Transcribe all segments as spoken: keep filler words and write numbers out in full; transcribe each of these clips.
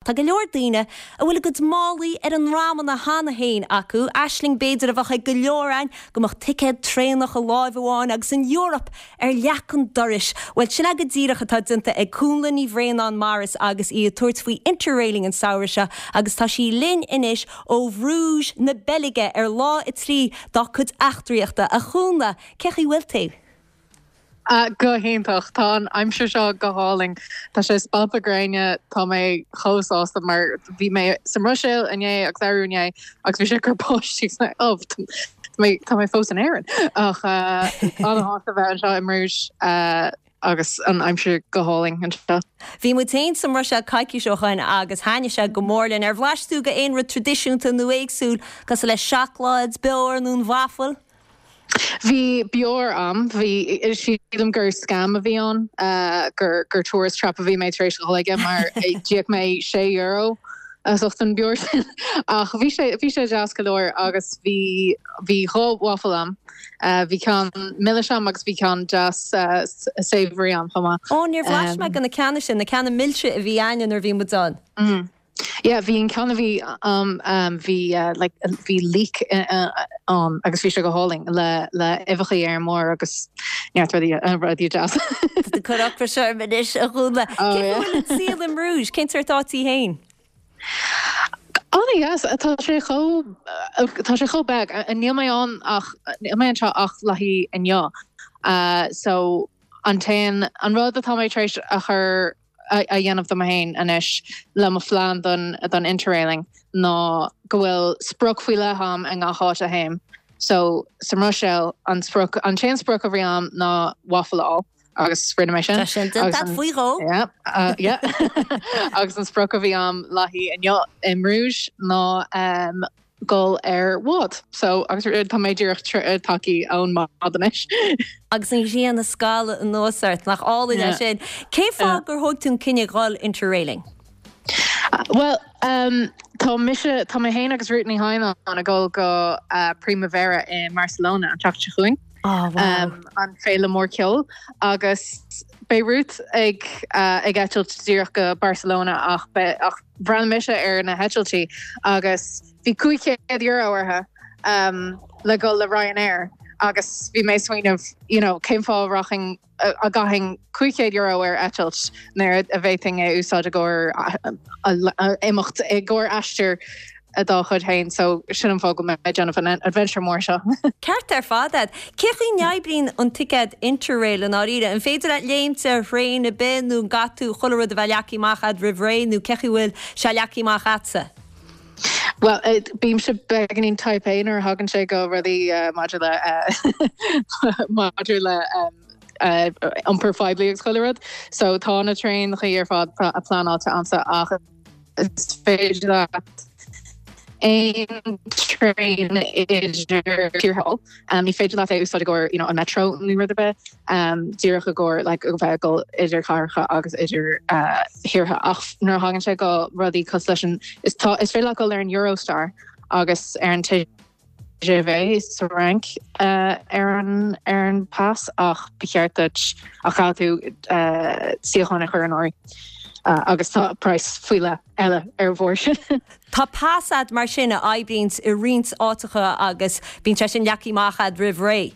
Tá go leor daoine a bhfuil a gcuid málaí ar a ndromanna cheana féin acu, aisling b'fhéidir a bheadh ag go leor againn go mbeadh ticéad traenach i láimh amháin agus an Eoraip ar leac an dorais. Bhuel sin é go díreach atá déanta ag Cúnla Ní Bhraonáin Morris agus í ag tabhairt faoi interrailing an samhradh seo agus tá sí linn anois ó Bhruges na Beilge ar lá a trí dá cuid eachtraíochta a Chúnla, cén chaoi a bhfuil tú? Uh, go hiontach tá an aimsir seo go hálainn Tá sé spalpadh gréine tá mé chomh sásta mar bhí mé sa mBruiséil inné agus arú inné agus bhí sé ag cur báistí ó tá mé fós in Éirinn ach uh, an-shásta bheith anseo i mBruges uh, agus an aimsir go hálainn anseo. Bhí muid féin sa mBruiséil coicís ó shin agus thaitnigh sé go mór linn ar bhlais tú go aon rud traidisiúnta nó éagsúil cosúil le seacláid, beoir nó an waffle. Bhí beoir ann bhí sílim gur scam a bhí ann uh, gur gur tourist trap a bhí mé tar éis aige mar d'íoc mé sé euro as ucht an beoir sin ach bhí sé bhí sé deas go leor agus bhí bhí dhá waffle ann. Uh, bhí ceann milis ann agus bhí ceann deas uh, savory ann chomh maith. Ó níor bhlais mé go na ceanna sin na ceanna milse a bhí ann nuair bhí muid ann. Mm. Yeah, bhí an ceann a bhí um, um, bhí uh, like, bhí leek uh, um, agus bhí sé go hálainn le le uibheacha ar mór agus neart rudaí rudaí deas. Cur ocras orm anois a Chúnla. Saol i mBruges, cén sórt áit í féin? An yes, tá sé chomh tá sé chomh beag níl mé ann ach níl mé anseo ach le haghaidh inniu. Uh, so an t-aon an rud atá mé tar éis a chur a dhéanamh do féin anois le mo phlean don don interrailing ná go bhfuil sprioc faoi leith agam i ngach áit a théim. So sa mBruiséil an sprioc an t-aon sprioc a bhí agam ná waffle a fháil agus rinne mé sin. sin faoi dhó? agus an sprioc a bhí agam le haghaidh inniu i mBruges ná um, gul ar bhád. So agus tá mé díreach tagtha ón mbád anois. Agus an ghrian ag scalladh anuas ort nach álainn é sin. Cé fáth gur thóg tú an cinneadh dhul interrailing? Uh, well, um, tá mise tá mé féin agus Ruth Ní Hain ag dul go uh, Primavera i Barcelona an tseachtain seo chugainn. Oh, wow. um, an féile mór ceoil agus beidh Ruth ag uh, ag eitilt díreach go Barcelona ach be, ach bhreathnaigh mise ar na heitiltí agus bhí cúig chéad euro orthu um, le dul le Ryanair agus bhí mé ag smaoineamh you know, cén fáth rachainn a gcaithfinn cúig chéad euro ar eitilt nuair a bhféadfainn é úsáid i gcomhair imeacht i gcomhair aistear a dá chuid féin, so sin an fáth go mé déanamh an adventure mór seo. Ceart ar fad. Cén chaoi a n-oibríonn an ticéad interrail an áiríre, an féidir leat léimt ar thraein ar bith nó caithfidh tú chuile rud a bheith leagtha amach agat roimh ré nó cén chaoi bhfuil sé leagtha amach agatsa. Well, bímse beagáinín type A nuair a thagann sé go rudaí uh, maidir le uh, maidir le um, uh, iompar poiblí agus chuile rud. So tá na traenacha ar fad a pleanáilte agamsa ach is féidir leat aon traein idir tíortha. Um, ní féidir leat é úsáid i gcomhair you know, an metro nó rud ar bith um, díreach i gcomhair like, bheith dul idir chathracha agus idir uh, thíortha ach nuair a thagann sé go rudaí cosúil leis an is tá is féidir dul ar an Eurostar agus ar an TGV sa Fhrainc uh, ar an ar an pas ach ba cheart ach tú uh, suíochán a chur in áirithe. Uh, agus tá praghas faoi leith eile ar bhord sin. Tá pas agat mar sin a oibríonn i roinnt áiteacha agus bíonn sé sin leagtha amach agat roimh ré.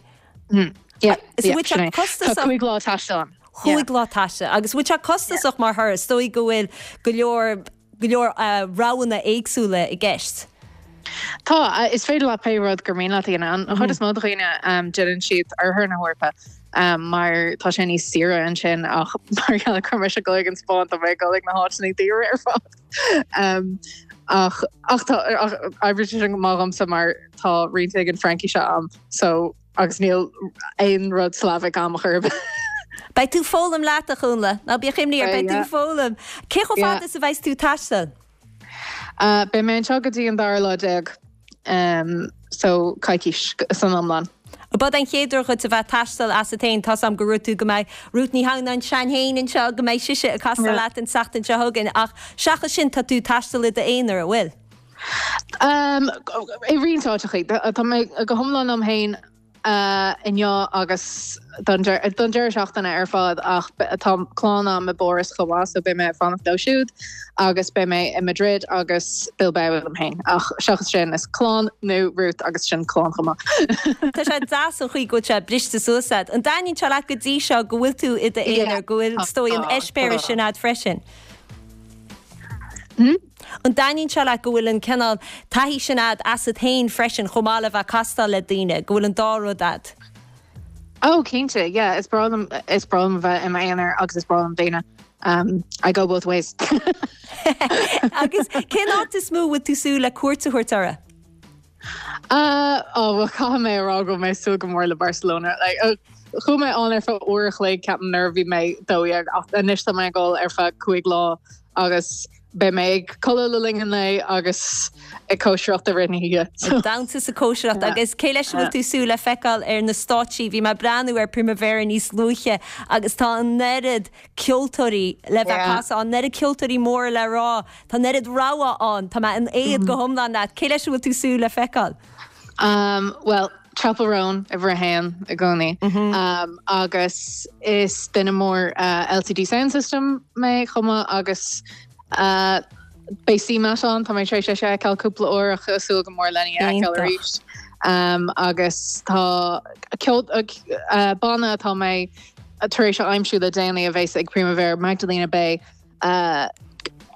Mm. Yeah, cúig lá taistil. Cúig lá taistil agus bhfuil sé costasach mar thuras dóigh go bhfuil go leor go leor uh, roghanna éagsúla i gceist. Tá is féidir le pé rud gur mian leat an chuid is mó daoine déanann siad oirthear na hEorpa. Um, mar tá sé níos saoire ansin ach mar go bhfuil mise ag an Spáinn tá mé ag dul na háiteanna daora ar fad. Um, ach ach oibríonn sin go maith domsa mar tá roinnt ag an Fraincis agam so agus níl aon rud Slavic agam churb. Beidh tú ag foghlaim leat a Chúnla ná bíodh imní ort beidh tú ag foghlaim. Cé chomh fada is a bheas tú ag taisteal? Uh, Beidh mé anseo go dtí an dara lá déag um, so coicís san iomlán. B'in an chéad uair duit a bheith ag taisteal asat féin tá am go tú go mbeidh Ruth Ní Hamhnáin sean féin anseo go mbeidh sise ag taisteal leat an tseachtain seo chugainn ach seachas sin tá tú ag taisteal i d'aonar an bhfuil. Um, I roinnt áiteacha tá mé go hiomlán liom féin uh, inniu agus don deireadh seachtaine ar fad ach tá clann agam i bPáras chomh maith so beidh mé ag fanacht leo siúd agus beidh mé i Madrid agus Bilbao liom féin ach seachas sin is clann nó Ruth agus sin clann chomh maith. Tá sé deas an chaoi go bhfuil sé briste suas agat. An dtaitníonn sé leat go dtí seo go bhfuil tú i d'aonar go bhfuil is dóigh an eispéireas sin agat freisin. Hmm? An dtaitníonn sé leat go bhfuil an cineál taithí sin agat asat féin freisin chomh maith le bheith ag castáil le daoine, go bhfuil an dá rud agat. Oh cinnte, yeah, is breá liom is breá liom bheith i m'aonar agus is breá liom daoine. Um, I go both ways. Agus cén áit is mó bhfuil tú súil le cuairt a thabhairt uirthi? Uh, oh, well, caithfidh mé a rá go mé súil go mór le Barcelona. Like, uh, Chuaigh mé ann ar feadh uair a chloig ceapaim nuair a bhí mé dó dhéag ach anois tá mé ag dul ar feadh cúig lá agus beidh mé ag codladh le linn an lae agus ag cóisireacht i rith na hoíche. Damhsa is cóisireacht agus cé leis bhfuil tú súil le feiceáil ar na stáitsí, bhí mé ag breathnú ar Primavera níos luaithe agus tá an oiread ceoltóirí le bheith casadh an oiread ceoltóirí móra le rá, Tá an oiread rogha ann, Tá mé in éad go hiomlán leat, cé leis bhfuil tú súil le feiceáil? Um, well, Chappell Roan uimhir a haon i gcónaí. Um, agus is duine mór uh, LCD Soundsystem mé chomh maith agus uh, beidh CMAT ann tá mé tar éis é a fheiceáil cúpla uair ach súil go mór lena fheiceáil arís. Um, agus tá ceol uh, banna atá mé tar éis a aimsiú le déanaí a bheas ag Primavera Magdalena Bay uh,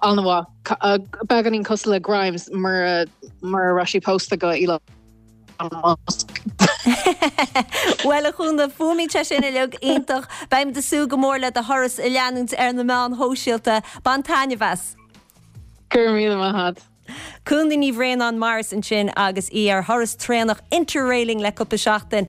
an-mhaith uh, beagáinín cosúil le Grimes mar mar raibh sí pósta go Elon Musk. Well a Chúnla fuaimníonn sé sin uilig iontach beimid ag súil go mór le do thuras a leanúint ar na meáin shóisialta bain taitneamh as. Gur míle maith. Cúnla Ní Bhraonáin Morris ansin agus í ar thuras traenach interrailing le cúpla seachtain.